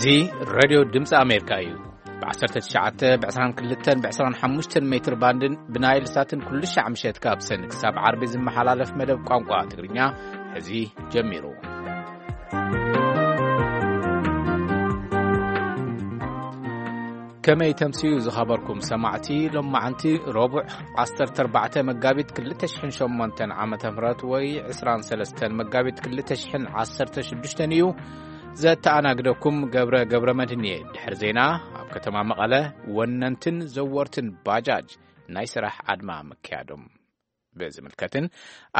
እዚ ሬድዮ ድምፂ ኣሜሪካ እዩ። ብ19፣ ብ22፣ ብ25 ሜትር ባንድን ብናይል ሳትን ኩሉ ሻዕ ምሸት ካብ ሰን ክሳብ ዓርቢ ዝመሓላለፍ መደብ ቋንቋ ትግርኛ ሕዚ ጀሚሩ። ከመይ ተምስዩ ዝኸበርኩም ሰማዕቲ፣ ሎማዓንቲ ረቡዕ ዓሰርተ ኣርባዕተ መጋቢት ክልተ ሽሕን ሸሞንተን ዓመተ ምህረት ወይ ዕስራን ሰለስተን መጋቢት ክልተ ሽሕን ዓሰርተ ሽዱሽተን እዩ። ዘተኣናግደኩም ገብረ ገብረ መድህን እየ። ድሕሪ ዜና፣ ኣብ ከተማ መቐለ ወነንትን ዘወርትን ባጃጅ ናይ ስራሕ ኣድማ ምክያዶም ብዝምልከትን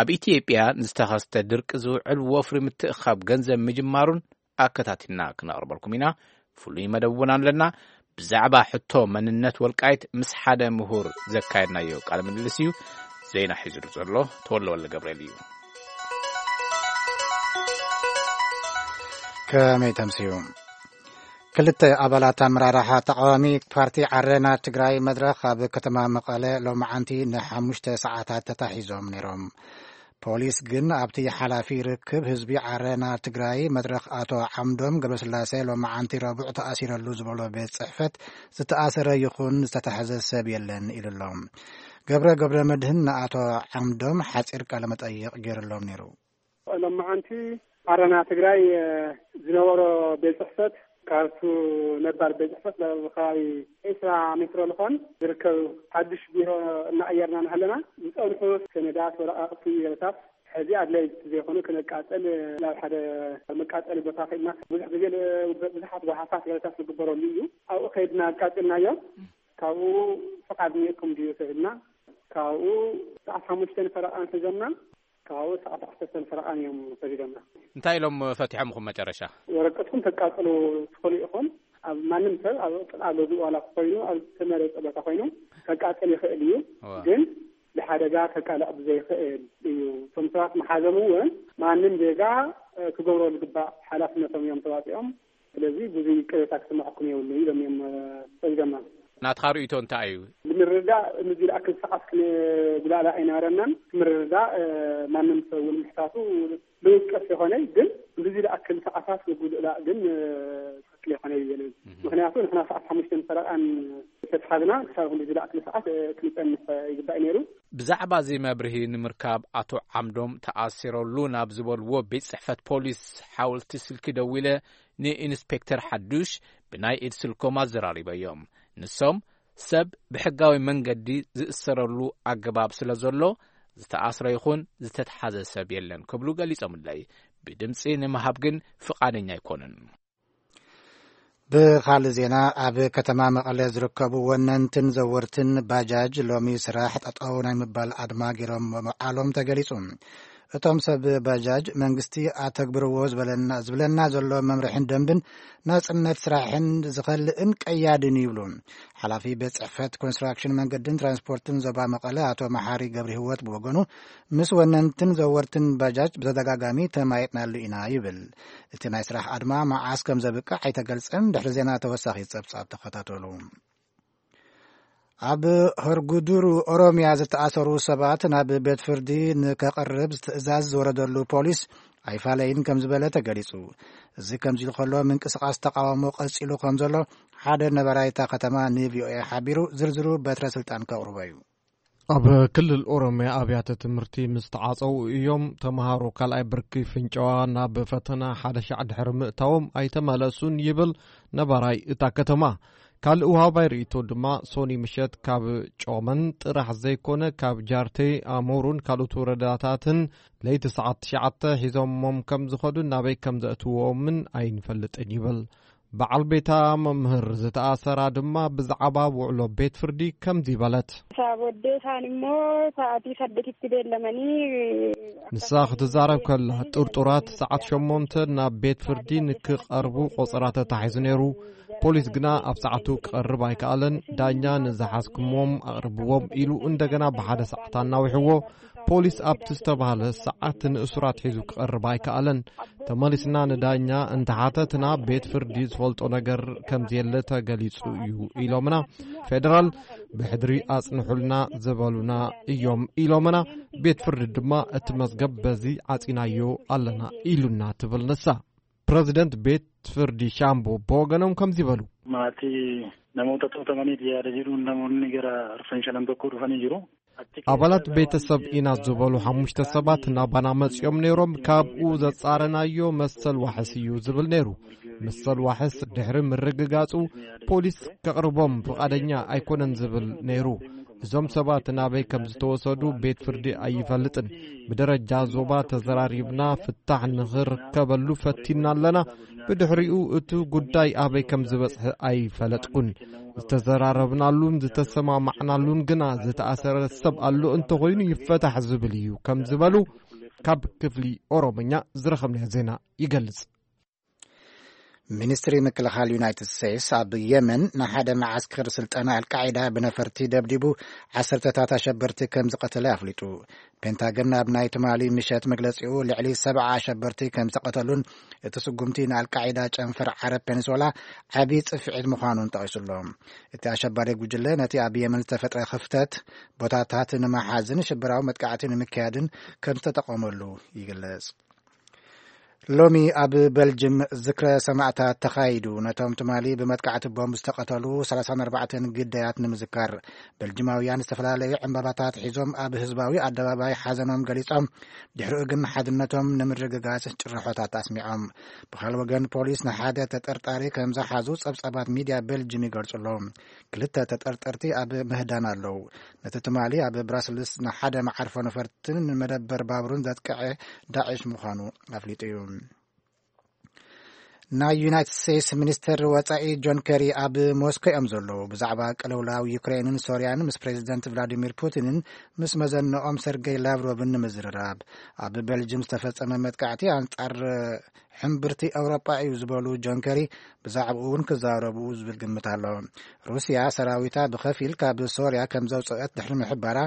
ኣብ ኢትዮጵያ ንዝተኸስተ ድርቂ ዝውዕል ወፍሪ ምትእኻብ ገንዘብ ምጅማሩን ኣከታቲልና ክነቕርበልኩም ኢና። ፍሉይ መደብ እውን ኣለና። ብዛዕባ ሕቶ መንነት ወልቃይት ምስ ሓደ ምሁር ዘካየድናዮ ቃለ ምልልስ እዩ። ዜና ሒዙ ዘሎ ተወልደ ወልደ ገብርኤል እዩ። ከመይ ተምስዩ? ክልተ ኣባላት ኣመራርሓ ተቃዋሚ ፓርቲ ዓረና ትግራይ መድረኽ ኣብ ከተማ መቐለ ሎማዓንቲ ንሓሙሽተ ሰዓታት ተታሒዞም ነይሮም። ፖሊስ ግን ኣብቲ ሓላፊ ርክብ ህዝቢ ዓረና ትግራይ መድረኽ ኣቶ ዓምዶም ገብረስላሴ ሎማዓንቲ ረቡዕ ተኣሲረሉ ዝበሎ ቤት ጽሕፈት ዝተኣሰረ ይኹን ዝተታሕዘ ሰብ የለን ኢሉ ኣሎ። ገብረ ገብረ መድህን ንኣቶ ዓምዶም ሓጺር ቃለ መጠይቕ ገይሩሎም ነይሩ። ሎማዓንቲ ዓረና ትግራይ፣ እ፣ ዝነበሮ ቤት ጽሕፈት ካብቱ ነባር ቤት ጽሕፈት ናብ ከባቢ ዕስራ ሜትሮ ዝኾን ዝርከብ ሓድሽ ቢሮ እናቐየርና እናሃለና ዝጸንሑ ሰነዳት፣ ወረቓቕቲ፣ ገለታት ሕዚ ኣድለይቲ ዘይኮኑ ክነቃጽል ናብ ሓደ መቃጸሊ ቦታ ከድና ብዙሕ ግዜ ል-፣ ብዙሓት ጓሓፋት ገለታት ዝግበረሉ እዩ። ኣብኡ ከድና ኣቃጽልናዮ። ካብኡ ፍቓድ እኒኤኩም ድዩ ተብልና፣ ካብኡ ሰዓት ሓሙሽተ ፈረቓን ሒዞምና። ካብኡ ሰዓት ዓሰርተ ፈረቓን እዮም ሰዲዶምና። እንታይ ኢሎም ፈቲሖምኹም መጨረሻ? ወረቀትኩም ተቃጽሉ ትኽእሉ ኢኹም። ኣብ ማንም ሰብ ኣብ ጥቓ ገዝኡ ዋላ ኮይኑ ኣብ ዝተመረጸ ቦታ ኮይኑ ከቃጽል ይኽእል እዩ። እዋ። ግን ንሓደጋ ከቃልዕ ብዘይኽእል እዩ። እቶም ሰባት መሓዘም እውን ማንም ዜጋ፣ እ፣ ክገብሮ ዝግባእ ሓላፍነቶም እዮም ተዋፂኦም። ስለዚ ብዙይ ቅሬታ ክስምዐኩም የብሉ ኢሎም እዮም፣ እ፣ ሰዲዶምና። ናትኻ ርእይቶ እንታይ እዩ? ብምርዳእ፣ ንዚ ዝኣክል ሰዓት ክንጉላላ ኣይነበረናን። ብምርዳእ፣ እ፣ ማንም ሰብ እውን ምሕታቱ ልውቀስ ይኾነ፣ ግን ንዚ ዝኣክል ሰዓታት ምጉልላ ግን፣ እ፣ ትኽክል ይኾነ ይብል። ምኽንያቱ ንሕና ሰዓት ሓሙሽተ ፈረቓን ተትሓዝና ክሳብ ክንዲ ዝኣክል ሰዓት፣ እ፣ ክንጸንሕ ይግባእ ነይሩ። ብዛዕባ እዚ መብርሂ ንምርካብ ኣቶ ዓምዶም ተኣሲረሉ ናብ ዝበልዎ ቤት ጽሕፈት ፖሊስ ሓወልቲ ስልኪ ደዊለ ንኢንስፔክተር ሓዱሽ ብናይ ኢድ ስልኮም ኣዘራሪበዮም። ንሶም ሰብ ብሕጋዊ መንገዲ ዝእሰረሉ ኣገባብ ስለ ዘሎ ዝተኣስረ ይኹን ዝተትሓዘ ሰብ የለን ክብሉ ገሊጾምለይ። ብድምጺ ንምሃብ ግን ፍቓደኛ ኣይኮኑን። ብኻልእ ዜና፣ ኣብ ከተማ መቐለ ዝርከቡ ወነንትን ዘወርትን ባጃጅ ሎሚ ስራሕ ጠጠው ናይ ምባል ኣድማ ገይሮም ምውዓሎም ተገሊጹ። እቶም ሰብ ባጃጅ መንግስቲ ኣተግብርዎ ዝበለና፣ ዝብለና ዘሎ መምርሕን ደንብን ናጽነት ስራሕን ዝኸልእን ቀያድን ይብሉ። ሓላፊ ቤት ጽሕፈት ኮንስትራክሽን መንገድን ትራንስፖርትን ዞባ መቐለ ኣቶ መሓሪ ገብረ ህይወት ብወገኑ ምስ ወነንትን ዘወርትን ባጃጅ ብተደጋጋሚ ተማይጥናሉ ኢና ይብል። እቲ ናይ ስራሕ ኣድማ መዓስ ከም ዘብቅዕ ኣይተገልጸን። ድሕሪ ዜና ተወሳኺ ጸብጻብ ተኸታተሉ። ኣብ ሆርጉዱሩ ኦሮሚያ ዝተኣሰሩ ሰባት ናብ ቤት ፍርዲ ንከቐርብ ትእዛዝ ዝወረደሉ ፖሊስ ኣይፋለይን ከም ዝበለ ተገሊጹ። እዚ ከምዚ ኢሉ ከሎ ምንቅስቓስ ተቃውሞ ቀጺሉ ከም ዘሎ ሓደ ነባራይ እታ ከተማ ንቪኦኤ ሓቢሩ። ዝርዝሩ በትረ ስልጣን ከቕርቦ እዩ። ኣብ ክልል ኦሮሚያ ኣብያተ ትምህርቲ ምስ ተዓጸው እዮም ተምሃሮ ካልኣይ ብርኪ ፍንጨዋ ናብ ፈተና ሓደ ሻዕ ድሕሪ ምእታዎም ኣይተመለሱን ይብል ነባራይ እታ ከተማ። ካልእ ውሃባይ ርእይቶ ድማ ሶኒ ምሸት ካብ ጮመን ጥራሕ ዘይኮነ ካብ ጃርቴ፣ ኣሞሩን ካልኦት ወረዳታትን ለይቲ ሰዓት ትሽዓተ ሒዞሞም ከም ዝኸዱን ናበይ ከም ዘእትዎምን ኣይንፈልጥን ይብል። በዓል ቤታ መምህር ዝተኣሰራ ድማ ብዛዕባ ውዕሎ ቤት ፍርዲ ከምዚ በለት። Saabooddee isaan immoo sa'aatii saddeetitti beellamanii ንሳ ክትዛረብ ከላ ጥርጡራት ሰዓት ሸሞንተ ናብ ቤት ፍርዲ ንክቐርቡ ቆጸራ ተታሒዙ ነይሩ። ፖሊስ ግና ኣብ ሰዓቱ ክቐርብ ኣይከኣለን። ዳኛ ንዝሓዝኩምዎም ኣቕርብዎም ኢሉ እንደገና ብሓደ ሰዓት ኣናዊሕዎ። ፖሊስ ኣብቲ ዝተባህለ ሰዓት ንእሱራት ሒዙ ክቐርብ ኣይከኣለን። ተመሊስና ንዳኛ እንተሓተትና ቤት ፍርዲ ዝፈልጦ ነገር ከም ዘየለ ተገሊጹ እዩ ኢሎምና። ፌደራል ብሕድሪ ኣጽንሑልና ዝበሉና እዮም ኢሎምና። ቤት ፍርዲ ድማ እቲ መዝገብ በዚ ዓጺናዮ ኣለና ኢሉና ትብል ንሳ። ፕረዚደንት ቤት ፍርዲ ሻምቦ ብወገኖም ከምዚ በሉ። Maatii namoota to'atamaniif yaada jedhuun namoonni gara arfan shanan tokko dhufanii jiru. Achi keessaa abaላት ቤተሰብ ኢና ዝበሉ ሓሙሽተ ሰባት ናባና መጺኦም ነይሮም። ካብኡ ዘጻረናዮ መሰል ዋሕስ እዩ ዝብል ነይሩ። መሰል ዋሕስ ድሕሪ ምርግጋጹ ፖሊስ ከቕርቦም ፍቓደኛ ኣይኮነን ዝብል ነይሩ። እዞም ሰባት ናበይ ከም ዝተወሰዱ ቤት ፍርዲ ኣይፈልጥን። ብደረጃ ዞባ ተዘራሪብና ፍታሕ ንኽርከበሉ ፈቲና ኣለና። ብድሕሪኡ እቲ ጉዳይ ኣበይ ከም ዝበጽሐ ኣይፈለጥኩን። ዝተዘራረብናሉን ዝተሰማማዕናሉን ግና ዝተኣሰረ ሰብ ኣሎ፣ እንተኾይኑ ይፈታሕ ዝብል እዩ ከም ዝበሉ ካብ ክፍሊ ኦሮምኛ ዝረኸብናዮ ዜና ይገልጽ። ሚኒስትሪ ምክልኻል ዩናይትድ ስቴትስ ኣብ የመን ንሓደ መዓስከር ስልጠና ኣልቃዒዳ ብነፈርቲ ደብዲቡ ዓሰርተታት ኣሸበርቲ ከም ዝቐተለ ኣፍሊጡ። ፔንታገን ኣብ ናይ ትማሊ ምሸት መግለጺኡ ልዕሊ ሰብዓ ኣሸበርቲ ከም ዝቐተሉን እቲ ስጉምቲ ንኣልቃዒዳ ጨንፈር ዓረብ ፔኒንሶላ ዓቢ ጽፍዒት ምዃኑን ጠቒሱሎ። እቲ ኣሸባሪ ጉጅለ ነቲ ኣብ የመን ዝተፈጥረ ክፍተት ቦታታት ንምሓዝን ሽበራዊ መጥቃዕቲ ንምክያድን ከም ዝተጠቐመሉ ይግለጽ። ሎሚ ኣብ በልጅም ዝክረ ሰማእታት ተኻይዱ። ነቶም ትማሊ ብመጥቃዕቲ ቦምብ ዝተቐተሉ ሰላሳን ኣርባዕተን ግዳያት ንምዝካር፣ በልጅማውያን ዝተፈላለዩ ዕምባባታት ሒዞም ኣብ ህዝባዊ ኣደባባይ ሓዘኖም ገሊጾም። ድሕሪኡ ግን ሓድነቶም ንምርግጋጽ ጭርሖታት ኣስሚዖም። ብኻልእ ወገን ፖሊስ ንሓደ ተጠርጣሪ ከም ዝሓዙ ጸብጻባት ሚድያ በልጅም ይገልጹ ኣለዉ። ክልተ ተጠርጠርቲ ኣብ ምህዳን ኣለዉ። ነቲ ትማሊ ኣብ ብራስልስ ንሓደ መዓርፎ ነፈርትን ንመደበር ባቡርን ዘጥቅዐ ዳዕሽ ምዃኑ ኣፍሊጡ እዩ። ናይ ዩናይትድ ስቴትስ ሚኒስትር ወጻኢ ጆን ከሪ ኣብ ሞስኮ እዮም ዘለዉ። ብዛዕባ ቅልውላው ዩክሬንን ሶርያን ምስ ፕሬዚደንት ቭላዲሚር ፑቲንን ምስ መዘንኦም ሰርጌይ ላቭሮቭን ንምዝርራብ። ኣብ ቤልጅም ዝተፈጸመ መጥቃዕቲ ኣንጻር ሕምብርቲ ኤውሮጳ እዩ ዝበሉ ጆን ከሪ፣ ብዛዕባኡ እውን ክዛረቡ ዝብል ግምት ኣሎ። ሩስያ ሰራዊታ ብኸፊል ካብ ሶርያ ከም ዘውጽአት ድሕሪ ምሕባራ፣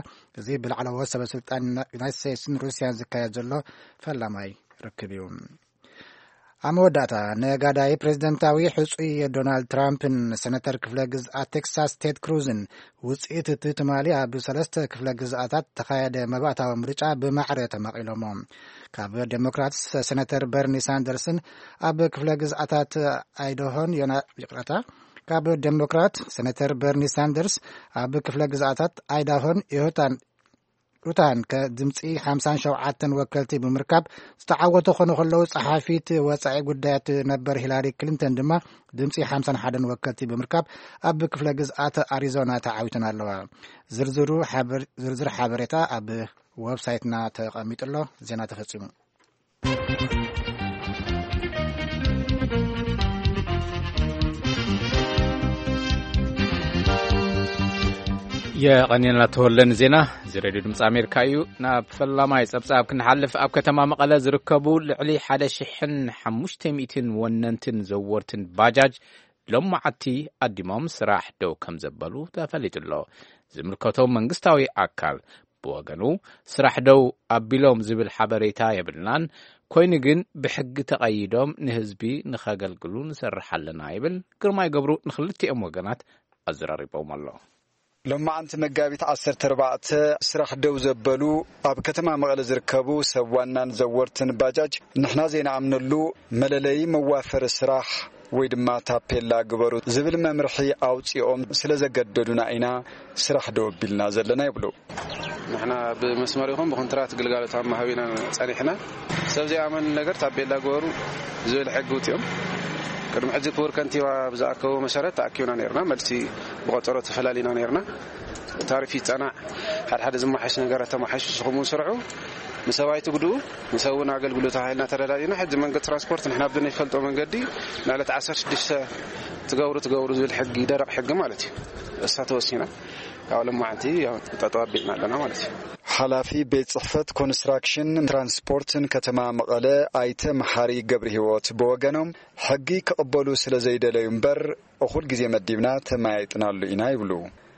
እዚ ብላዕለዎት ሰበስልጣን ዩናይትድ ስቴትስን ሩስያን ዝካየድ ዘሎ ፈላማይ ርክብ እዩ። ኣብ መወዳእታ፣ ነጋዳይ ፕሬዝደንታዊ ሕጹይ ዶናልድ ትራምፕን ሰነተር ክፍለ ግዝኣት ቴክሳስ ቴድ ክሩዝን ውጽኢት እቲ ትማሊ ኣብ ሰለስተ ክፍለ ግዝኣታት ተኻየደ መባእታዊ ምርጫ ብማዕረ ተማቒሎሞ። ካብ ዴሞክራትስ ሰነተር በርኒ ሳንደርስን ኣብ ክፍለ ግዝኣታት ኣይዳሆን ዮና-፣ ይቕረታ፣ ካብ ዴሞክራት ሰነተር በርኒ ሳንደርስ ኣብ ክፍለ ግዝኣታት ኣይዳሆን ዮታን ኡታን ከ ድምፂ ሓምሳን ሸውዓተን ወከልቲ ብምርካብ ዝተዓወቱ ክኾኑ ከለዉ፣ ጸሓፊት ወጻኢ ጉዳያት ነበር ሂላሪ ክሊንተን ድማ ድምፂ ሓምሳን ሓደን ወከልቲ ብምርካብ ኣብ ክፍለ ግዝኣት ኣሪዞና ተዓዊተን ኣለዋ። ዝርዝሩ ሓበር-፣ ዝርዝር ሓበሬታ ኣብ ወብሳይትና ተቐሚጡ ኣሎ። ዜና ተፈጺሙ። የቐንየና ተወለ ንዜና። እዚ ሬድዮ ድምፂ ኣሜሪካ እዩ። ናብ ፈላማይ ጸብጻብ ክንሓልፍ፣ ኣብ ከተማ መቐለ ዝርከቡ ልዕሊ ሓደ ሽሕን ሓሙሽተ ሚእትን ወነንትን ዘወርትን ባጃጅ ሎማዓቲ ኣዲሞም ስራሕ ደው ከም ዘበሉ ተፈሊጡ ኣሎ። ዝምልከቶም መንግስታዊ ኣካል ብወገኑ፣ ስራሕ ደው ኣቢሎም ዝብል ሓበሬታ የብልናን፣ ኮይኑ ግን ብሕጊ ተቐይዶም ንህዝቢ ንኸገልግሉ ንሰርሕ ኣለና ይብል። ግርማይ ገብሩ ንኽልቲኦም ወገናት ኣዘራሪቦም ኣሎ። ሎማዓንቲ መጋቢት ዓሰርተ ኣርባዕተ ስራሕ ደው ዘበሉ ኣብ ከተማ መቐለ ዝርከቡ ሰብ ዋናን ዘወርትን ባጃጅ፣ ንሕና ዘይንኣምነሉ መለለዪ መዋፈሪ ስራሕ ወይ ድማ ታፔላ ግበሩ ዝብል መምርሒ ኣውፂኦም ስለ ዘገደዱና ኢና ስራሕ ደው ኣቢልና ዘለና ይብሉ። ንሕና ብመስመር ይኹን ብኮንትራት ግልጋሎት ኣብ ምሃብ ኢና ጸኒሕና። ሰብ ዘይኣመን ነገር ታፔላ ግበሩ ዝብል ሕጊ ውፅኦም። ቅድሚ ሕጂ ክቡር ከንቲባ ብዝኣከቦ መሰረት ተኣኪብና ነይርና። መልሲ ብቆጸሮ ተፈላሊና ነይርና። ታሪፍ ይጸናዕ፣ ሓደ ሓደ ዝመሓሽ ነገራት ተመሓይሹ ንስኹም እውን ስርሑ፣ ንሰብ ኣይትጉድኡ፣ ንሰብ እውን ኣገልግሎት ተባሂልና ተረዳዲና። ሕጂ መንገዲ ትራንስፖርት ንሕና ብናይፈልጦ መንገዲ ንዕለት ዓሰርተ ሽዱሽተ ትገብሩ ትገብሩ ዝብል ሕጊ፣ ደረቕ ሕጊ ማለት እዩ። እሳ ተወሲና፣ ካብ ሎማዓንቲ ያው ጠጠው ኣቢልና ኣለና ማለት እዩ። ሓላፊ ቤት ጽሕፈት ኮንስትራክሽን ትራንስፖርትን ከተማ መቐለ ኣይተ መሓሪ ገብረ ህይወት ብወገኖም፣ ሕጊ ክቕበሉ ስለ ዘይደለዩ እምበር፣ እኹል ግዜ መዲብና ተመያይጥናሉ ኢና ይብሉ።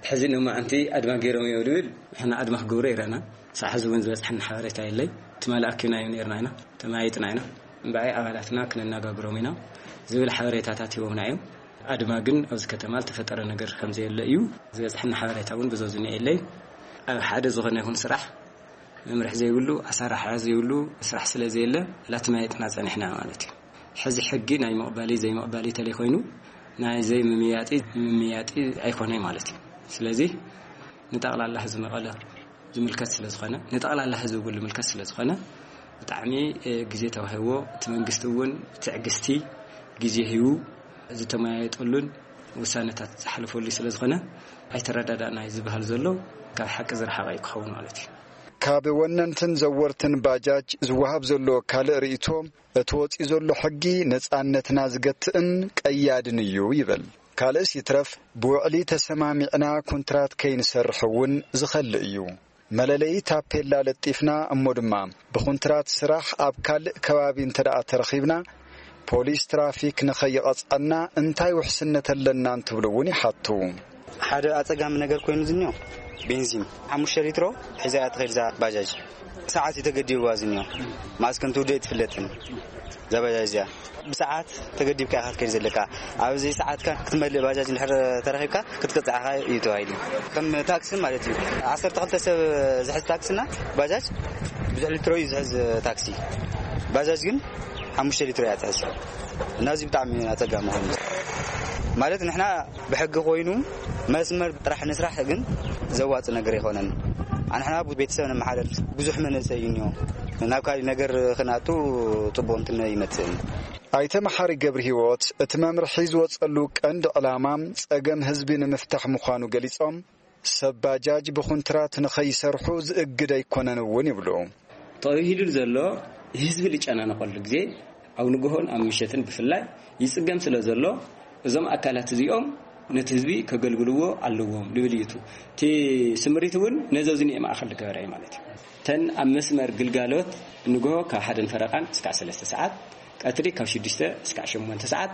ሕዚ ንማዓንቲ ኣድማ ገይሮም እዮም ዝብል፣ ንሕና ኣድማ ክገብሩ ይረኣና። ሳዕ ሕዚ እውን ዝበፅሐና ሓበሬታ የለይ። ትማሊ ኣኪብናዮም ነይርና ኢና፣ ተመያይጥና ኢና። እምበኣይ ኣባላትና ክነነጋግሮም ኢና ዝብል ሓበሬታታት ሂቦምና እዮም። ኣድማ ግን ኣብዚ ከተማ ዝተፈጠረ ነገር ከም ዘየለ እዩ ዝበፅሐና ሓበሬታ እውን ብዙ ዝኒአ የለይ። ኣብ ሓደ ዝኾነ ይኹን ስራሕ መምርሒ ዘይብሉ፣ ኣሰራርሓ ዘይብሉ ስራሕ ስለ ዘየለ፣ ላተመያየጥና ፀኒሕና ማለት እዩ። ሕዚ ሕጊ ናይ ምቕባሊ ዘይምቕባሊ ተለይ ኮይኑ ናይ ዘይምምያጢ ምምያጢ ኣይኮነይ ማለት እዩ። ስለዚ ንጠቕላላ ህዝቢ መቐለ ዝምልከት ስለ ዝኾነ፣ ንጠቕላላ ህዝቢ እውን ዝምልከት ስለ ዝኾነ፣ ብጣዕሚ ግዜ ተዋሂዎ፣ እቲ መንግስቲ እውን ትዕግስቲ ግዜ ሂቡ ዝተመያየጠሉን ውሳነታት ዝሓለፈሉ ስለ ዝኾነ፣ ኣይተረዳዳእና እዩ ዝበሃል ዘሎ ካብ ሓቂ ዝረሓቐ እዩ ክኸውን ማለት እዩ። ካብ ወነንትን ዘወርትን ባጃጅ ዝወሃብ ዘሎ ካልእ ርእይቶ፣ እቲ ወጺኡ ዘሎ ሕጊ ነጻነትና ዝገትእን ቀያድን እዩ ይብል። ካልእስ ይትረፍ፣ ብውዕሊ ተሰማሚዕና ኩንትራት ከይንሰርሕ እውን ዝኸልእ እዩ። መለለዪ ታፔላ ለጢፍና እሞ ድማ ብኹንትራት ስራሕ ኣብ ካልእ ከባቢ እንተ ደኣ ተረኺብና፣ ፖሊስ ትራፊክ ንኸይቐጽዐና እንታይ ውሕስነት ኣለና እንትብሉ እውን ይሓቱ። ሓደ ኣጸጋሚ ነገር ኮይኑ ዝኒኦ፣ ቤንዚን ሓሙሽተ ሊትሮ ሒዛ እያ ትኸይድ እዛ ባጃጅ። ሰዓት እዩ ተገዲብዋ ዝኒኦ። መዓስ ከም ትውድእ ኣይትፍለጥን እዛ ባጃጅ እዚኣ። ብሰዓት ተገዲብካ ኢኻ ትከይድ ዘለካ። ኣብዚ ሰዓትካ ክትመልእ ባጃጅ እንድሕር ተረኺብካ ክትቅጻዕኻ እዩ ተባሂሉ። ከም ታክሲ ማለት እዩ። ዓሰርተ ክልተ ሰብ ዝሕዝ ታክስና ባጃጅ ብዙሕ ሊትሮ እዩ ዝሕዝ ታክሲ። ባጃጅ ግን ሓሙሽተ ሊትሮ እያ ትሕዝ። እና እዚ ብጣዕሚ ኣጸጋሚ ኮይኑ ማለት ንሕና ብሕጊ ኮይኑ መስመር ጥራሕ ንስራሕ ግን ዘዋጽእ ነገር ኣይኮነን። ኣንሕና ቤተሰብ ነመሓደር ብዙሕ መንእሰይ እዩ እኒኦ። ናብ ካልእ ነገር ክንኣቱ ጽቡቕ እንትን ይመጽእን። ኣይተ መሓሪ ገብረ ህይወት እቲ መምርሒ ዝወጸሉ ቀንዲ ዕላማ ጸገም ህዝቢ ንምፍታሕ ምዃኑ ገሊጾም፣ ሰብ ባጃጅ ብኹንትራት ንኸይሰርሑ ዝእግድ ኣይኮነን እውን ይብሉ። ተባሂሉ ዘሎ ህዝቢ ልጨናነቐሉ ግዜ ኣብ ንግሆን ኣብ ምሸትን ብፍላይ ይጽገም ስለ ዘሎ እዞም ኣካላት እዚኦም ነቲ ህዝቢ ከገልግልዎ ኣለዎም ልብል እዩ። እቲ ስምሪት እውን ነዚ ኣብዚ ንኤ ማእኸል ዝገበረ እዩ ማለት እዩ። እተን ኣብ መስመር ግልጋሎት ንግሆ ካብ ሓደን ፈረቓን እስካዕ ሰለስተ ሰዓት፣ ቀትሪ ካብ ሽዱሽተ እስካዕ ሸሞንተ ሰዓት፣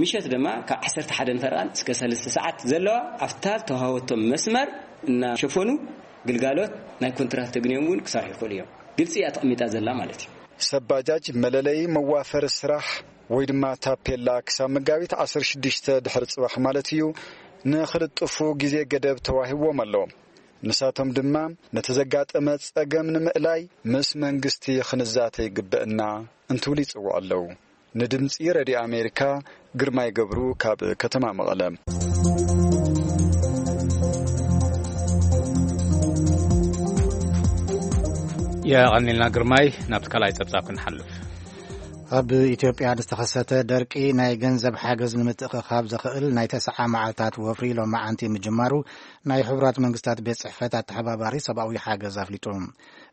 ምሸት ድማ ካብ ዓሰርተ ሓደን ፈረቓን እስከ ሰለስተ ሰዓት ዘለዋ ኣብታ ዝተዋሃበቶም መስመር እናሸፈኑ ግልጋሎት ናይ ኮንትራት ተግንዮም እውን ክሰርሑ ይኽእሉ እዮም። ግልፂ እያ ተቐሚጣ ዘላ ማለት እዩ። ሰብ ባጃጅ መለለዪ መዋፈሪ ስራሕ ወይ ድማ ታፔላ ክሳብ መጋቢት ዓሰርተ ሽዱሽተ ድሕሪ ጽባሕ ማለት እዩ ንኽልጥፉ ግዜ ገደብ ተዋሂዎም ኣሎ። ንሳቶም ድማ ነቲ ዘጋጠመ ጸገም ንምእላይ ምስ መንግስቲ ክንዛተ ይግበእና እንትብሉ ይጽውዑ ኣለዉ። ንድምጺ ረድዮ ኣሜሪካ ግርማይ ገብሩ ካብ ከተማ መቐለ። የቐኒልና ግርማይ። ናብቲ ካልኣይ ጸብጻብ ክንሓልፍ። ኣብ ኢትዮጵያ ንዝተኸሰተ ደርቂ ናይ ገንዘብ ሓገዝ ንምትእኽኻብ ዘኽእል ናይ ተስዓ መዓልታት ወፍሪ ሎማዓንቲ ምጅማሩ ናይ ሕቡራት መንግስታት ቤት ጽሕፈት ኣተሓባባሪ ሰብኣዊ ሓገዝ ኣፍሊጡ።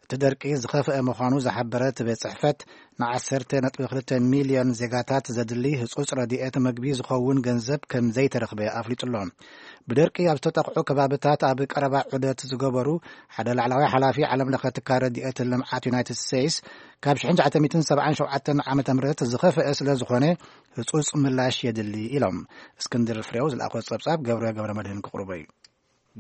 እቲ ደርቂ ዝኸፍአ ምዃኑ ዝሓበረ እቲ ቤት ጽሕፈት፣ ንዓሰርተ ነጥቢ ክልተ ሚልዮን ዜጋታት ዘድሊ ህጹጽ ረድኤት መግቢ ዝኸውን ገንዘብ ከም ዘይተረኽበ ኣፍሊጡ ኣሎ። ብደርቂ ኣብ ዝተጠቕዑ ከባብታት ኣብ ቀረባ ዑደት ዝገበሩ ሓደ ላዕለዋይ ሓላፊ ዓለም ለኸ ትካል ረድኤት ልምዓት ዩናይትድ ስቴትስ፣ ካብ ሽሕን ትሽዓተ ሚእትን ሰብዓን ሸውዓተን ዓመተ ምህረት ዝኸፍአ ስለ ዝኾነ ህጹጽ ምላሽ የድሊ ኢሎም። እስክንድር ፍሬው ዝለኣኾ ጸብጻብ ገብረ ገብረ መድህን ክቕርቦ እዩ።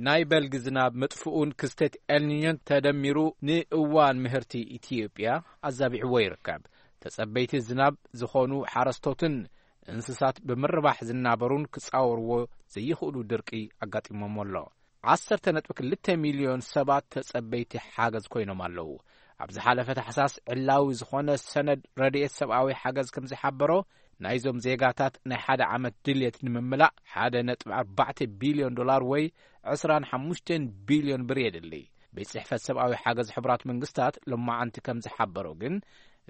ናይ በልጊ ዝናብ ምጥፍኡን ክስተት ኤልኒኞን ተደሚሩ ንእዋን ምህርቲ ኢትዮጵያ ኣዛቢዕዎ ይርከብ። ተጸበይቲ ዝናብ ዝኾኑ ሓረስቶትን እንስሳት ብምርባሕ ዝናበሩን ክጻወርዎ ዘይኽእሉ ድርቂ ኣጋጢሞም ኣሎ። ዓሰርተ ነጥቢ ክልተ ሚልዮን ሰባት ተጸበይቲ ሓገዝ ኮይኖም ኣለዉ። ኣብ ዝሓለፈ ታሕሳስ ዕላዊ ዝኾነ ሰነድ ረድኤት ሰብኣዊ ሓገዝ ከም ዝሓበሮ፣ ናይዞም ዜጋታት ናይ ሓደ ዓመት ድልየት ንምምላእ ሓደ ነጥቢ ኣርባዕተ ቢልዮን ዶላር ወይ ዕስራን ሓሙሽተን ቢልዮን ብር የድሊ። ቤት ጽሕፈት ሰብኣዊ ሓገዝ ሕቡራት መንግስታት ሎማዓንቲ ከም ዝሓበሮ ግን፣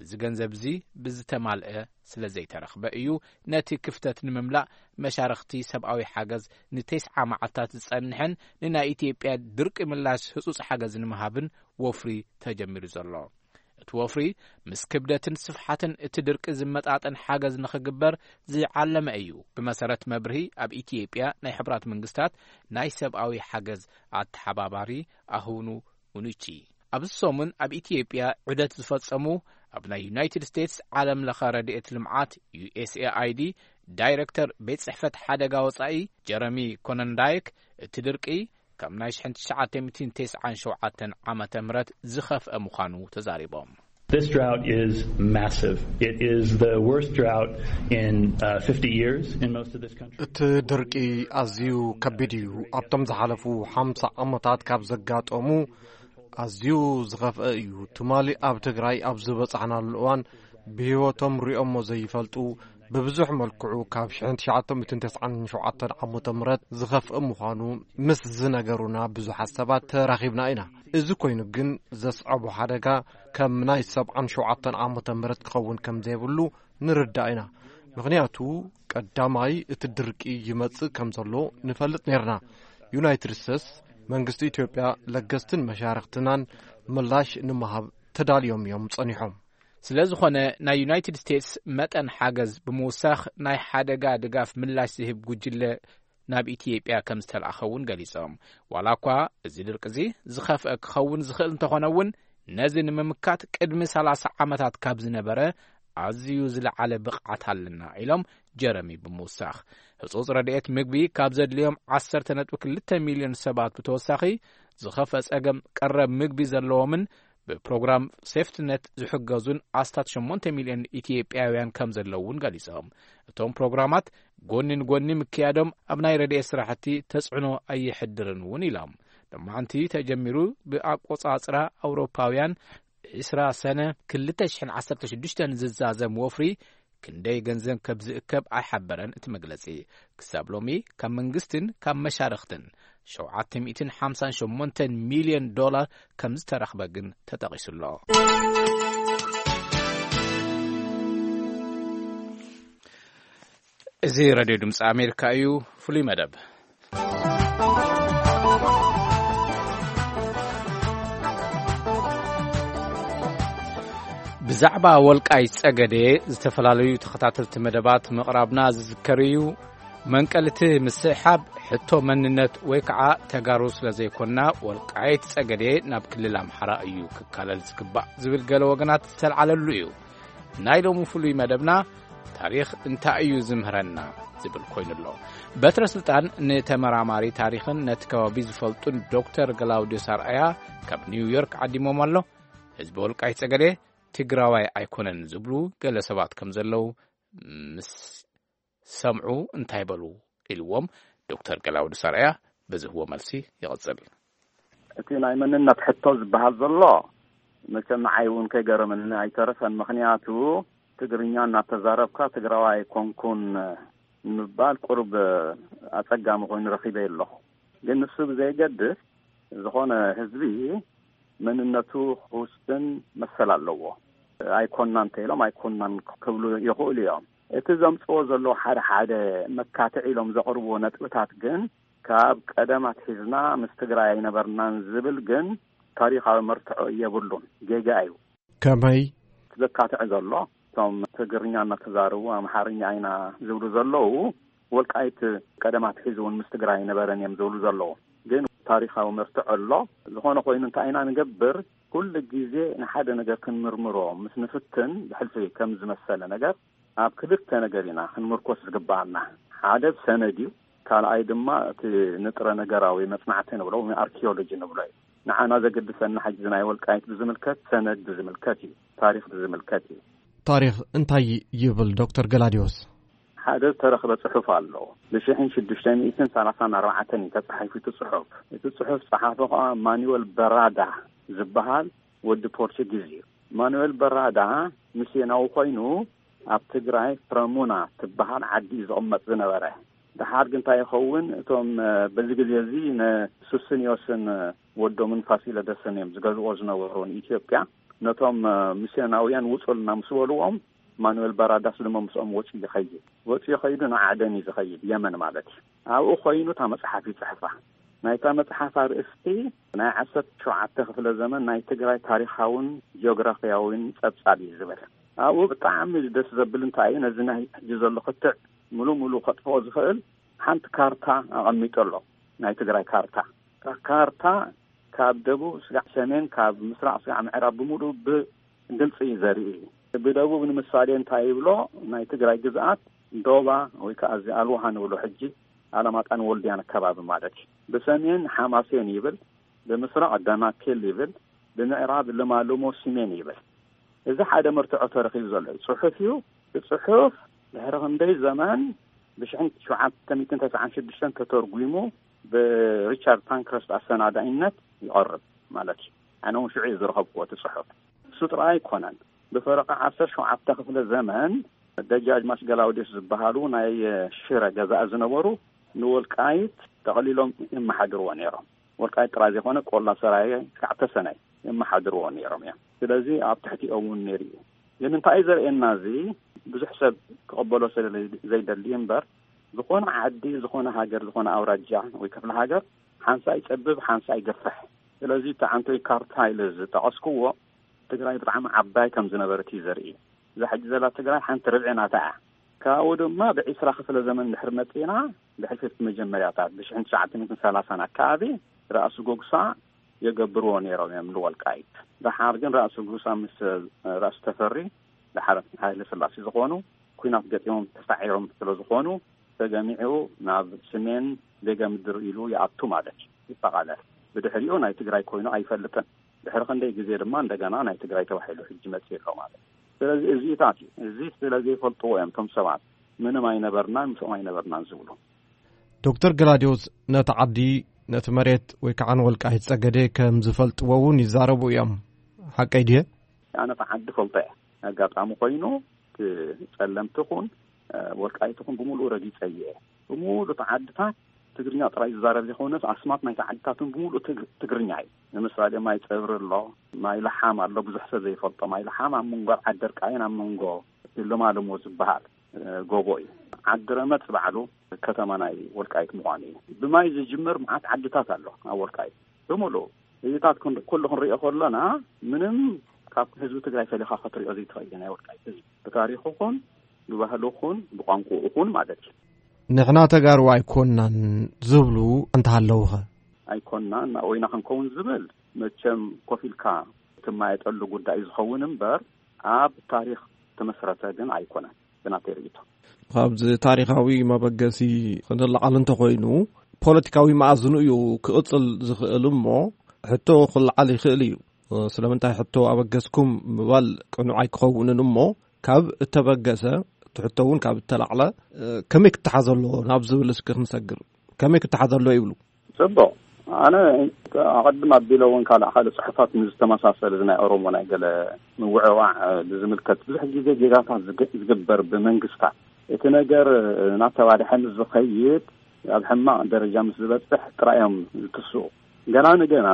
እዚ ገንዘብ እዚ ብዝተማልአ ስለ ዘይተረኽበ እዩ ነቲ ክፍተት ንምምላእ መሻርኽቲ ሰብኣዊ ሓገዝ ንተስዓ መዓልታት ዝጸንሕን ንናይ ኢትዮጵያ ድርቂ ምላሽ ህጹጽ ሓገዝ ንምሃብን ወፍሪ ተጀሚሩ ዘሎ። እቲ ወፍሪ ምስ ክብደትን ስፍሓትን እቲ ድርቂ ዝመጣጠን ሓገዝ ንኽግበር ዝዓለመ እዩ። ብመሰረት መብርሂ ኣብ ኢትዮጵያ ናይ ሕቡራት መንግስታት ናይ ሰብኣዊ ሓገዝ ኣተሓባባሪ ኣሁኑ ኡኑቺ፣ ኣብዚ ሰሙን ኣብ ኢትዮጵያ ዑደት ዝፈጸሙ ኣብ ናይ ዩናይትድ ስቴትስ ዓለም ለኸ ረድኤት ልምዓት ዩ ኤስ ኤ ኣይ ዲ ዳይሬክተር ቤት ጽሕፈት ሓደጋ ወጻኢ ጀረሚ ኮነንዳይክ፣ እቲ ድርቂ ካብ ናይ ሽሕን ትሽዓተ ሚእትን ተስዓን ሸውዓተን ዓመተ ምህረት ዝኸፍአ ምዃኑ ተዛሪቦም። This drought is massive. It is the worst drought in uh, fifty years in most of this country. እቲ ድርቂ ኣዝዩ ከቢድ እዩ። ኣብቶም ዝሓለፉ ሓምሳ ዓመታት ካብ ዘጋጠሙ ኣዝዩ ዝኸፍአ እዩ። ትማሊ ኣብ ትግራይ ኣብ ዝበጻሕናሉ እዋን ብህይወቶም ሪኦሞ ዘይፈልጡ፣ ብብዙሕ መልክዑ ካብ ሽሕን ትሽዓተ ሚእትን ተስዓን ሸውዓተን ዓመተ ምህረት ዝኸፍእ ምዃኑ ምስ ዝነገሩና ብዙሓት ሰባት ተራኺብና ኢና። እዚ ኮይኑ ግን ዘስዐቦ ሓደጋ ከም ናይ ሰብዓን ሸውዓተን ዓመተ ምህረት ክኸውን ከም ዘይብሉ ንርዳእ ኢና። ምኽንያቱ ቀዳማይ እቲ ድርቂ ይመጽእ ከም ዘሎ ንፈልጥ ነርና። ዩናይትድ ስቴትስ፣ መንግስቲ ኢትዮጵያ፣ ለገስትን መሻርኽትናን ምላሽ ንምሃብ ተዳልዮም እዮም ጸኒሖም። ስለ ዝኾነ ናይ ዩናይትድ ስቴትስ መጠን ሓገዝ ብምውሳኽ ናይ ሓደጋ ድጋፍ ምላሽ ዝህብ ጉጅለ ናብ ኢትዮጵያ ከም ዝተላእኸ እውን ገሊጾም። ዋላ እኳ እዚ ድርቂ እዚ ዝኸፍአ ክኸውን ዝኽእል እንተኾነ እውን ነዚ ንምምካት ቅድሚ ሰላሳ ዓመታት ካብ ዝነበረ ኣዝዩ ዝለዓለ ብቕዓት ኣለና ኢሎም ጀረሚ ብምውሳኽ። ህጹጽ ረድኤት ምግቢ ካብ ዘድልዮም ዓሰርተ ነጥቢ ክልተ ሚልዮን ሰባት ብተወሳኺ ዝኸፍአ ጸገም ቀረብ ምግቢ ዘለዎምን ብፕሮግራም ሴፍትነት ዝሕገዙን ኣስታት ሸሞንተ ሚልዮን ኢትዮጵያውያን ከም ዘለዉ እውን ገሊጾም። እቶም ፕሮግራማት ጎኒ ንጎኒ ምክያዶም ኣብ ናይ ረድኤት ስራሕቲ ተጽዕኖ ኣየሕድርን እውን ኢሎም። ሎማዓንቲ ተጀሚሩ ብኣቆጻጽራ ኣውሮፓውያን ዕስራ ሰነ ክልተ ሽሕን ዓሰርተ ሽዱሽተን ዝዛዘም ወፍሪ ክንደይ ገንዘብ ከም ዝእከብ ኣይሓበረን እቲ መግለጺ። ክሳብ ሎሚ ካብ መንግስትን ካብ መሻርኽትን ሸውዓተ ሚእትን ሓምሳን ሸሞንተን ሚልዮን ዶላር ከም ዝተረኽበ ግን ተጠቒሱ ኣሎ። እዚ ሬድዮ ድምፂ ኣሜሪካ እዩ። ፍሉይ መደብ። ብዛዕባ ወልቃይት ጸገዴ ዝተፈላለዩ ተኸታተልቲ መደባት ምቕራብና ዝዝከር እዩ። መንቀሊ እቲ ምስሕሓብ ሕቶ መንነት ወይ ከዓ ተጋሩ ስለ ዘይኮንና፣ ወልቃይት ጸገዴ ናብ ክልል ኣምሓራ እዩ ክካለል ዝግባእ ዝብል ገለ ወገናት ዝተልዓለሉ እዩ። ናይ ሎሚ ፍሉይ መደብና ታሪኽ እንታይ እዩ ዝምህረና ዝብል ኮይኑ ኣሎ። በትረ ስልጣን ንተመራማሪ ታሪኽን ነቲ ከባቢ ዝፈልጡን ዶክተር ገላውዲዮስ ኣርኣያ ካብ ኒውዮርክ ዓዲሞም ኣሎ። ህዝቢ ወልቃይት ጸገዴ ትግራዋይ ኣይኮነን ዝብሉ ገለ ሰባት ከም ዘለዉ ምስ ሰምዑ እንታይ በሉ ኢልዎም ዶክተር ገላውዲዮስ ኣርኣያ ብዝህቦ መልሲ ይቕጽል። እቲ ናይ መንነት ሕቶ ዝበሃል ዘሎ መቸም ንዓይ እውን ከይገረመኒ ኣይተረፈን። ምኽንያቱ ትግርኛ እናተዛረብካ ትግራዋይ ኣይኮንኩን ንምባል ቁሩብ ኣጸጋሚ ኮይኑ ረኺበ ኣለኹ። ግን ንሱ ብዘይገድስ ዝኾነ ህዝቢ መንነቱ ክውስን መሰል ኣለዎ። ኣይኮንናን እንተኢሎም ኣይኮንናን ክብሉ ይኽእሉ እዮም። እቲ ዘምጽዎ ዘለዉ ሓደ ሓደ መካትዒ ኢሎም ዘቕርብዎ ነጥብታት ግን ካብ ቀደም ኣትሒዝና ምስ ትግራይ ኣይነበርናን ዝብል ግን ታሪኻዊ መርትዖ የብሉን። ጌጋ እዩ። ከመይ? ዘካትዕ ዘሎ እቶም ትግርኛ እናተዛረቡ ኣምሓርኛ ኢና ዝብሉ ዘለዉ ወልቃይት ቀደም ኣትሒዙ እውን ምስ ትግራይ ኣይነበረን እዮም ዝብሉ ዘለዉ። ግን ታሪኻዊ መርትዖ ኣሎ። ዝኾነ ኮይኑ እንታይ ኢና ንገብር? ኩሉ ግዜ ንሓደ ነገር ክንምርምሮ ምስ ንፍትን ብሕልፊ ከም ዝመሰለ ነገር ኣብ ክልተ ነገር ኢና ክንምርኮስ ዝግባኣና። ሓደ ሰነድ እዩ፣ ካልኣይ ድማ እቲ ንጥረ ነገራዊ መጽናዕቲ ንብሎ ወይ ኣርኪኦሎጂ ንብሎ እዩ። ንዓና ዘገድሰና ሕጂ ናይ ወልቃይት ብዝምልከት ሰነድ ብዝምልከት እዩ፣ ታሪኽ ብዝምልከት እዩ። ታሪኽ እንታይ ይብል ዶክተር ገላዲዮስ? ሓደ ዝተረኽበ ጽሑፍ ኣሎ። ብሽሕን ሽዱሽተ ሚእትን ሰላሳን ኣርባዕተን እዩ ተጻሒፉ እቲ ጽሑፍ። እቲ ጽሑፍ ጸሓፊ ኸኣ ማኑዌል በራዳ ዝበሃል ወዲ ፖርቹጊዝ እዩ። ማኑዌል በራዳ ሚስዮናዊ ኮይኑ ኣብ ትግራይ ፍረሙና ትበሃል ዓዲ እዩ ዝቕመጥ ዝነበረ። ደሓር ግን እንታይ ይኸውን፣ እቶም በዚ ግዜ እዚ ንሱስንዮስን ወዶምን ፋሲለደስን እዮም ዝገዝኦ ዝነበሩ ንኢትዮጵያ። ነቶም ሚስዮናውያን ውጹልና ምስ በልዎም ማኑኤል በራዳስ ድማ ምስኦም ወፂኡ ይኸይድ። ወፂኡ ከይዱ ንዓደን እዩ ዝኸይድ፣ የመን ማለት እዩ። ኣብኡ ኮይኑ እታ መፅሓፍ ይፅሕፋ። ናይታ መፅሓፍ ኣርእስቲ ናይ ዓሰርተ ሸውዓተ ክፍለ ዘመን ናይ ትግራይ ታሪኻውን ጂኦግራፊያውን ፀብፃብ እዩ ዝብል። ኣብኡ ብጣዕሚ ደስ ዘብል እንታይ እዩ፣ ነዚ ናይ ሕጂ ዘሎ ክትዕ ሙሉ ሙሉ ከጥፍኦ ዝኽእል ሓንቲ ካርታ ኣቐሚጡ ኣሎ። ናይ ትግራይ ካርታ፣ እታ ካርታ ካብ ደቡብ ስጋዕ ሰሜን፣ ካብ ምስራቕ ስጋዕ ምዕራብ ብምሉእ ብግልፂ እዩ ዘርኢ። ብደቡብ ንምሳሌ እንታይ ይብሎ፣ ናይ ትግራይ ግዝኣት ዶባ ወይ ከዓ እዚ ኣልዋሃ ንብሎ ሕጂ ኣለማጣን ወልድያን ኣከባቢ ማለት እዩ። ብሰሜን ሓማሴን ይብል፣ ብምስራቕ ደናኬል ይብል፣ ብምዕራብ ልማልሞ ሲሜን ይብል። እዚ ሓደ መርትዖ ተረኺቡ ዘሎ እዩ። ጽሑፍ እዩ። እቲ ጽሑፍ ድሕሪ ክንደይ ዘመን ብሽሕን ሸውዓተ ሚእትን ተስዓን ሽዱሽተን ተተርጒሙ ብሪቻርድ ፓንክረስት ኣሰናዳኢነት ይቐርብ ማለት እዩ። ኣነ እውን ሽዑ እዩ ዝረኸብኩዎ እቲ ጽሑፍ። እሱ ጥራይ ኣይኮነን። ብፈረቓ ዓሰርተ ሸውዓተ ክፍለ ዘመን ደጃዝማች ገላውዴዎስ ዝበሃሉ ናይ ሽረ ገዛእ ዝነበሩ ንወልቃይት ጠቕሊሎም የመሓድርዎ ነይሮም። ወልቃይት ጥራይ ዘይኮነ ቆላ ሰራየ ክሳዕ ተሰነይ የመሓድርዎ ነይሮም እዮም። ስለዚ ኣብ ትሕቲኦም እውን ነይሩ እዩ። ግን እንታይ እዩ ዘርእየና? እዚ ብዙሕ ሰብ ክቕበሎ ስለ ዘይደሊ እምበር፣ ዝኾነ ዓዲ፣ ዝኾነ ሃገር፣ ዝኾነ ኣውራጃ ወይ ክፍለ ሃገር ሓንሳእ ይጸብብ፣ ሓንሳእ ይገፍሕ። ስለዚ እቲ ዓንቶይ ካርታ ኢለ ዝጠቐስክዎ ትግራይ ብጣዕሚ ዓባይ ከም ዝነበረት እዩ ዘርኢ። እዛ ሕጂ ዘላ ትግራይ ሓንቲ ርብዒ ናታ እያ። ካብኡ ድማ ብዒስራ ክፍለ ዘመን ድሕሪ መጺና፣ ብሕልፊ እቲ መጀመርያታት ብሽሕን ትሽዓተ ሚእትን ሰላሳን ኣከባቢ ራእሲ ጎግሳ የገብርዎ ነይሮም እዮም ንወልቃይት። ደሓር ግን ራእሲ ጎግሳ ምስ ራእሲ ተፈሪ ደሓር ሃይለ ስላሴ ዝኾኑ ኲናት ገጢሞም ተሳዒሮም ስለ ዝኾኑ፣ ተገሚዑ ናብ ስሜን ቤገ ምድር ኢሉ ይኣቱ ማለት እዩ፣ ይጠቓለል። ብድሕሪኡ ናይ ትግራይ ኮይኑ ኣይፈልጥን። ድሕሪ ክንደይ ግዜ ድማ እንደገና ናይ ትግራይ ተባሂሉ ሕጂ መጺኡ ኣሎ ማለት እዩ። ስለዚ እዚታት እዩ። እዚ ስለ ዘይፈልጥዎ እዮም እቶም ሰባት ምንም ኣይነበርናን ምስኦም ኣይነበርናን ዝብሉ። ዶክተር ገላዲዮስ ነቲ ዓዲ፣ ነቲ መሬት ወይ ከዓ ንወልቃይት ጸገዴ ከም ዝፈልጥዎ እውን ይዛረቡ እዮም። ሓቀይ ድየ? ኣነ እቲ ዓዲ ፈልጦ እየ። ኣጋጣሚ ኮይኑ እቲ ጸለምቲ ኹን፣ እ፣ ወልቃይት ኹን ብምሉኡ ረጊጸ እየ። ብምሉእ እቲ ዓድታት ትግርኛ ጥራይ ዝዛረብ ዘይኮነስ ኣስማት ናይቲ ዓድታት እውን ብምሉእ ትግ-፣ ትግርኛ እዩ። ንምሳሌ ማይ ጸብሪ ኣሎ፣ ማይ ለሓም ኣሎ፣ ብዙሕ ሰብ ዘይፈልጦ ማይ ለሓም ኣብ መንጎ ዓዲ ደርቃይን ኣብ መንጎ ለማለሞ ዝበሃል፣ እ፣ ጎቦ እዩ። ዓዲ ረመጽ ባዕሉ ከተማ ናይ ወልቃይት ምዃኑ እዩ። ብማይ ዝጅምር መዓት ዓድታት ኣሎ ኣብ ወልቃይት ብምሉኡ። እዚታት ኩን-፣ ኩሉ ክንሪኦ ከሎና ምንም ካብ ህዝቢ ትግራይ ፈሊኻ ክትሪኦ ዘይትኽእል ናይ ወልቃይት ህዝቢ ብታሪኹ ኹን ብባህሉ ኹን ብቋንቋኡ ኹን ማለት እዩ። ንሕና ተጋሩ ኣይኮናን ዝብሉ እንተሃለውኸ? ኣይኮናን፣ ናወይና ክንከውን ዝብል መቸም ኮፍ ኢልካ ትማየጠሉ ጉዳይ ዝኸውን እምበር ኣብ ታሪኽ ተመስረተ ግን ኣይኮነን ብናተይ ርእይቶ። ካብዚ ታሪኻዊ መበገሲ ክንለዓል እንተኾይኑ ፖለቲካዊ መኣዝኑ እዩ ክቕጽል ዝኽእል እሞ ሕቶ ክለዓል ይኽእል እዩ። ስለምንታይ ሕቶ ኣበገስኩም ምባል ቅኑዕ ኣይክኸውንን እሞ ካብ እተበገሰ እቲ ሕቶ እውን ካብ እተላዕለ ከመይ ክተሓዘ ኣለዎ ናብ ዝብል እስኪ ክንሰግር። ከመይ ክተሓዘ ኣለዎ ይብሉ? ጽቡቕ። ኣነ ኣቐድም ኣቢለ እውን ካልእ ካልእ ጽሑፋት ምስ ዝተመሳሰለ እዚ ናይ ኦሮሞ ናይ ገለ ምውዕዋዕ፣ እ፣ ብዝምልከት ብዙሕ ግዜ ጌጋታት ዝግ-፣ ዝግበር ብመንግስታት። እቲ ነገር፣ እ፣ እናተባድሐ ምስ ዝኸይድ ኣብ ሕማቕ ደረጃ ምስ ዝበጽሕ ጥራይ እዮም ዝትስኡ። ገና ንገና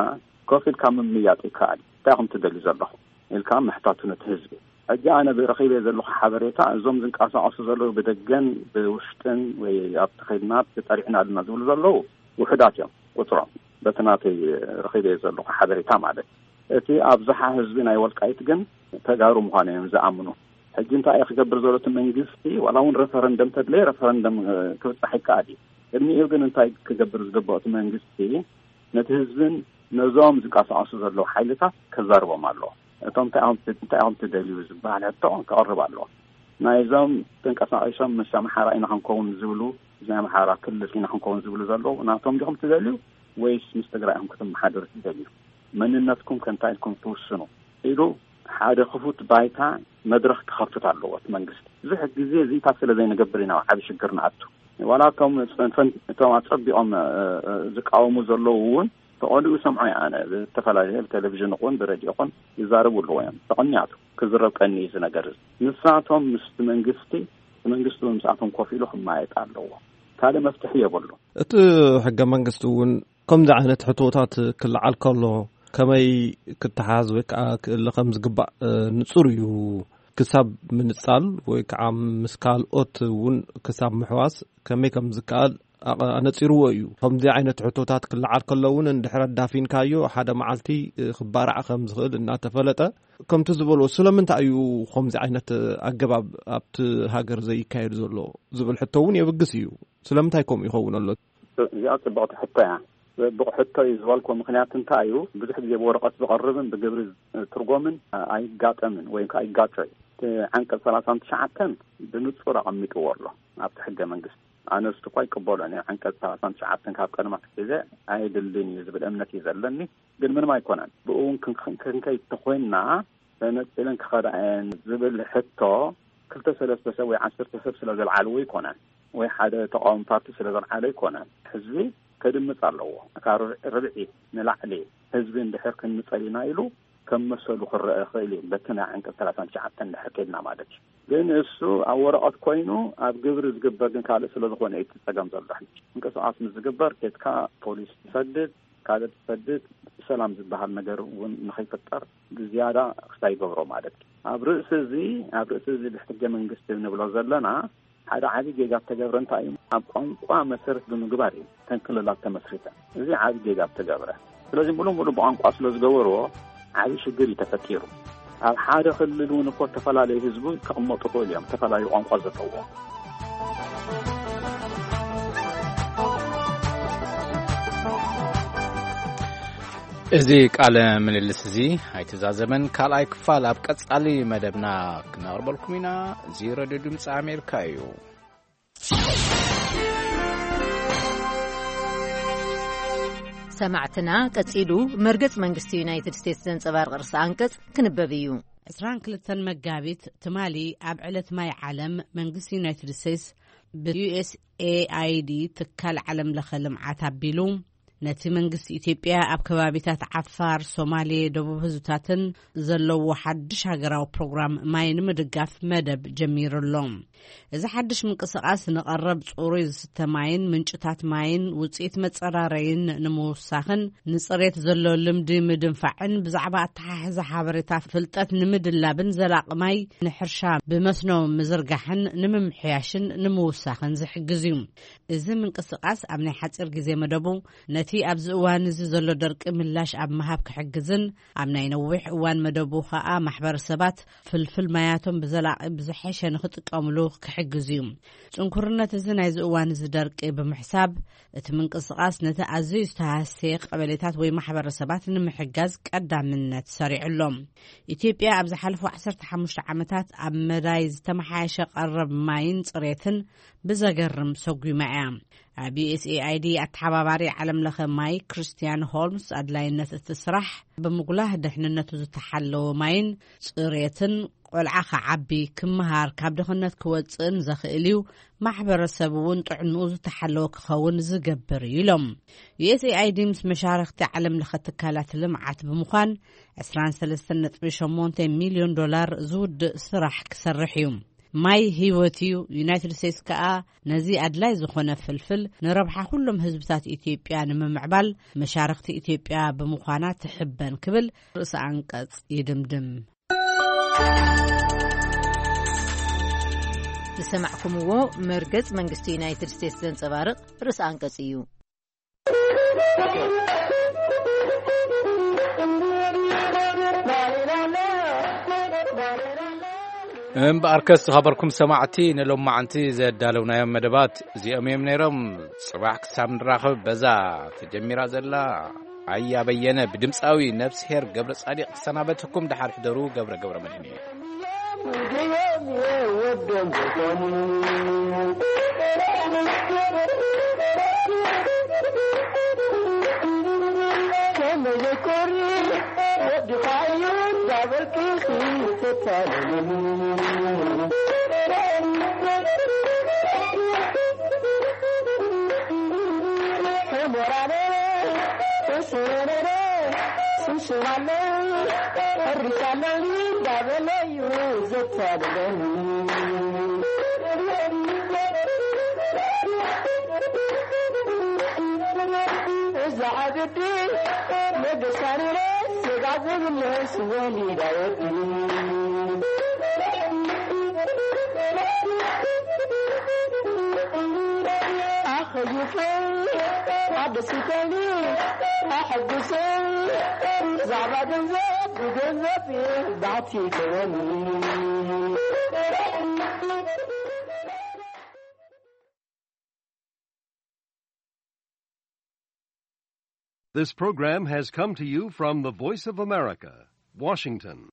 ኮፍ ኢልካ ምምያጥ ይከኣል። እንታይ ኢኹም ትደልዩ ዘለኹም? ኢልካ ምሕታቱ ነቲ ህዝቢ። ሕጂ ኣነ ብረኺበ ዘለኹ ሓበሬታ፣ እዞም ዝንቀሳቐሱ ዘለዉ ብደገን ብውሽጥን ወይ ኣብቲ ኸይድና ተጠሪዕና ኣለና ዝብሉ ዘለዉ ውሑዳት እዮም ቁጽሮም፣ በቲ ናተይ ረኺበ ዘለኹ ሓበሬታ ማለት። እቲ ኣብዝሓ ህዝቢ ናይ ወልቃይት ግን ተጋሩ ምዃኑ እዮም ዝኣምኑ። ሕጂ እንታይ እዩ ክገብር ዘሎ እቲ መንግስቲ? ዋላ እውን ረፈረንደም ተድለየ ረፈረንደም፣ እ፣ ክብጻሕ ይከኣል እዩ። ቅድሚኡ ግን እንታይ ክገብር ዝግብኦ እቲ መንግስቲ? ነቲ ህዝብን ነዞም ዝንቀሳቐሱ ዘለዉ ሓይልታት ከዛርቦም ኣለዎ። እቶም እንታይ እዮም፣ እንታይ እዮም ትደልዩ ዝበሃል ሕቶ ከቕርብ ኣለዎ። ናይዞም ተንቀሳቒሶም ምስ ኣምሓራ ኢና ክንከውን ዝብሉ፣ ናይ ኣምሓራ ክልል ኢና ክንከውን ዝብሉ ዘለዉ ናቶም ዲኹም ትደልዩ ወይስ ምስ ትግራይ ኢኹም ክትመሓደሩ ትደልዩ? መንነትኩም ከ እንታይ ኢልኩም ትውስኑ? ኢሉ ሓደ ክፉት ባይታ መድረኽ ክኸፍት ኣለዎ እቲ መንግስቲ። ብዙሕ ግዜ እዚታት ስለ ዘይንገብር ኢና ኣብ ዓቢ ሽግር ንኣቱ። ዋላ እቶም ጽንፈን-፣ እቶም ኣጸቢቖም፣ እ፣ እ፣ ዝቃወሙ ዘለዉ እውን ተቐዲኡ ሰምዖ እየ ኣነ። ብዝተፈላለየ ቴሌቪዥን ይኹን ብሬድዮ ይኹን ይዛረቡ ኣለዉ እዮም። ተቐኒያቱ ክዝረብ ቀኒ እዩ እዚ ነገር እዚ። ንሳቶም ምስቲ መንግስቲ፣ እቲ መንግስቲ እውን ምስኣቶም ኮፍ ኢሉ ክመያየጥ ኣለዎ። ካልእ መፍትሒ የብሉ። እቲ ሕገ መንግስቲ እውን ከምዚ ዓይነት ሕቶታት ክለዓል ከሎ ከመይ ክተሓዝ ወይ ከዓ ክእለ ከም ዝግባእ፣ እ፣ ንጹር እዩ። ክሳብ ምንጻል ወይ ከዓ ምስ ካልኦት እውን ክሳብ ምሕዋስ ከመይ ከም ዝከኣል ኣቐ-፣ ኣነጺርዎ እዩ። ከምዚ ዓይነት ሕቶታት ክለዓል ከሎ እውን እንድሕር ኣዳፊንካዮ ሓደ መዓልቲ፣ እ፣ ክባራዕ ከም ዝኽእል እናተፈለጠ፣ ከምቲ ዝበልዎ ስለምንታይ እዩ ከምዚ ዓይነት ኣገባብ ኣብቲ ሃገር ዘይካየድ ዘሎ ዝብል ሕቶ እውን የብግስ እዩ። ስለምንታይ ከምኡ ይኸውን ኣሎ? እዚኣ ጽብቕቲ ሕቶ እያ። ጽቡቕ ሕቶ እዩ ዝበልኩ ምኽንያት እንታይ እዩ? ብዙሕ ግዜ ብወረቐት ዝቐርብን ብግብሪ ትርጎምን ኣይጋጠምን ወይ ከዓ ይጋጮ እዩ። እቲ ዓንቀጽ ሰላሳን ትሽዓተን ብንጹር ኣቐሚጥዎ ኣሎ ኣብቲ ሕገ መንግስቲ። ኣነ እስቲ እኳ ይቅበሎን እየ። ዓንቀጽ ሰላሳን ትሽዓተን ካብ ቀደም ኣትሒዘ ኣየድልን እዩ ዝብል እምነት እዩ ዘለኒ። ግን ምንም ኣይኮነን። ብኡ እውን ክን-፣ ክንከይድ ተኾይንና ተነጺለን ክኸዳ እየን ዝብል ሕቶ ክልተ ሰለስተ ሰብ ወይ ዓሰርተ ሰብ ስለ ዘልዓልዎ ኣይኮነን፣ ወይ ሓደ ተቃዋሚ ፓርቲ ስለ ዘልዓለ ኣይኮነን። ህዝቢ ከድምጽ ኣለዎ። ካብ ርብ-፣ ርብዒ ንላዕሊ ህዝቢ እንድሕር ክንምጸል ኢና ኢሉ ከም መሰሉ ክረአ ይኽእል እዩ፣ በቲ ናይ ዓንቀፅ ሰላሳን ትሽዓተን እንድሕር ከይድና ማለት እዩ። ግን እሱ ኣብ ወረቐት ኮይኑ ኣብ ግብሪ ዝግበር ግን ካልእ ስለ ዝኾነ እዩ እቲ ጸገም ዘሎ። ሕጂ ምንቅስቓስ ምስ ዝግበር ኬድካ ፖሊስ ትሰድድ፣ ካልእ ትሰድድ፣ ሰላም ዝበሃል ነገር እውን ንኸይፍጠር ብዝያዳ ክስታይ ይገብሮ ማለት እዩ። ኣብ ርእሲ እዚ፣ ኣብ ርእሲ እዚ ብሕገ መንግስቲ ንብሎ ዘለና ሓደ ዓቢ ጌጋ እተገብረ እንታይ እዩ? ኣብ ቋንቋ መሰረት ብምግባር እዩ ተን ክልላት ተመስሪተን። እዚ ዓቢ ጌጋ እተገብረ። ስለዚ ሙሉ ሙሉ ብቋንቋ ስለ ዝገበርዎ ዓቢ ሽግር እዩ ተፈጢሩ። ኣብ ሓደ ክልል እውን እኮ ተፈላለዩ ህዝቡ ክቕመጡ ይኽእሉ እዮም፣ ተፈላለዩ ቋንቋ ዘለዎ። እዚ ቃለ ምልልስ እዚ ኣይተዛዘመን። ካልኣይ ክፋል ኣብ ቀጻሊ መደብና ክነቕርበልኩም ኢና። እዚ ሬድዮ ድምፂ ኣሜሪካ እዩ። ሰማዕትና፣ ቀጺሉ መርገጽ መንግስቲ ዩናይትድ ስቴትስ ዘንጸባርቕ ርእሰ ኣንቀጽ ክንበብ እዩ። ዕስራን ክልተን መጋቢት ትማሊ ኣብ ዕለት ማይ ዓለም መንግስቲ ዩናይትድ ስቴትስ ብ ዩ ኤስ ኤ ኣይ ዲ ትካል ዓለም ለኸ ልምዓት ኣቢሉ ነቲ መንግስቲ ኢትዮጵያ ኣብ ከባቢታት ዓፋር፣ ሶማሌ፣ ደቡብ ህዝብታትን ዘለዎ ሓድሽ ሃገራዊ ፕሮግራም ማይ ንምድጋፍ መደብ ጀሚሩ ኣሎ። እዚ ሓድሽ ምንቅስቓስ ንቐረብ ጽሩይ ዝስተ ማይን ምንጭታት ማይን ውጽኢት መጸራረይን ንምውሳኽን ንጽሬት ዘሎ ልምዲ ምድንፋዕን ብዛዕባ ኣተሓሕዛ ሓበሬታ ፍልጠት ንምድላብን ዘላቒ ማይ ንሕርሻ ብመስኖ ምዝርጋሕን ንምምሕያሽን ንምውሳኽን ዝሕግዝ እዩ። እዚ ምንቅስቓስ ኣብ ናይ ሓጺር ግዜ መደቡ ነቲ ኣብዚ እዋን እዚ ዘሎ ደርቂ ምላሽ ኣብ ምሃብ ክሕግዝን ኣብ ናይ ነዊሕ እዋን መደቡ ኸኣ ማሕበረሰባት ፍልፍል ማያቶም ብዘላቒ ብዝሐሸ ንኽጥቀምሉ ክሕግዝ እዩ። ጽንኩርነት እዚ ናይዚ እዋን እዚ ደርቂ ብምሕሳብ እቲ ምንቅስቓስ ነቲ ኣዝዩ ዝተሃስየ ቀበሌታት ወይ ማሕበረሰባት ንምሕጋዝ ቀዳምነት ሰሪዑ ኣሎ። ኢትዮጵያ ኣብ ዝሓለፉ ዓሰርተ ሓሙሽተ ዓመታት ኣብ መዳይ ዝተመሓየሸ ቀረብ ማይን ጽሬትን ብዘገርም ሰጒማ እያ። ኣብ ዩ ኤስ ኤ ኣይ ዲ ኣተሓባባሪ ዓለም ለኸ ማይ ክርስቲያን ሆልምስ ኣድላይነት እቲ ስራሕ ብምጉላህ ድሕንነቱ ዝተሓለወ ማይን ጽሬትን ቆልዓ ክዓቢ፣ ክመሃር፣ ካብ ድኽነት ክወጽእን ዘኽእል እዩ። ማሕበረሰብ እውን ጥዕንኡ ዝተሓለወ ክኸውን ዝገብር እዩ ኢሎም። ዩ ኤስ ኤ ኣይ ዲ ምስ መሻርኽቲ ዓለም ለኸ ትካላት ልምዓት ብምዃን ዕስራን ሰለስተን ነጥቢ ሸሞንተ ሚልዮን ዶላር ዝውድእ ስራሕ ክሰርሕ እዩ። ማይ ህይወት እዩ። ዩናይትድ ስቴትስ ከኣ ነዚ ኣድላይ ዝኾነ ፍልፍል ንረብሓ ኩሎም ህዝብታት ኢትዮጵያ ንምምዕባል መሻርኽቲ ኢትዮጵያ ብምዃና ትሕበን ክብል ርእሰ ኣንቀጽ ይድምድም። ዝሰማዕኩምዎ መርገጽ መንግስቲ ዩናይትድ ስቴትስ ዘንጸባርቕ ርእሰ ኣንቀጽ እዩ። እምበኣርከስ ዝኸበርኩም ሰማዕቲ፣ ንሎማዓንቲ ዘዳለውናዮም መደባት እዚኦም እዮም ነይሮም። ጽባሕ ክሳብ ንራኸብ፣ በዛ ተጀሚራ ዘላ ኣያ በየነ ብድምፃዊ ነፍስሄር ገብረ ጻዲቕ ክሰናበትኩም። ደሓር ሕደሩ። ገብረ ገብረ መድህን እየ። This program has come to you from the Voice of America, Washington.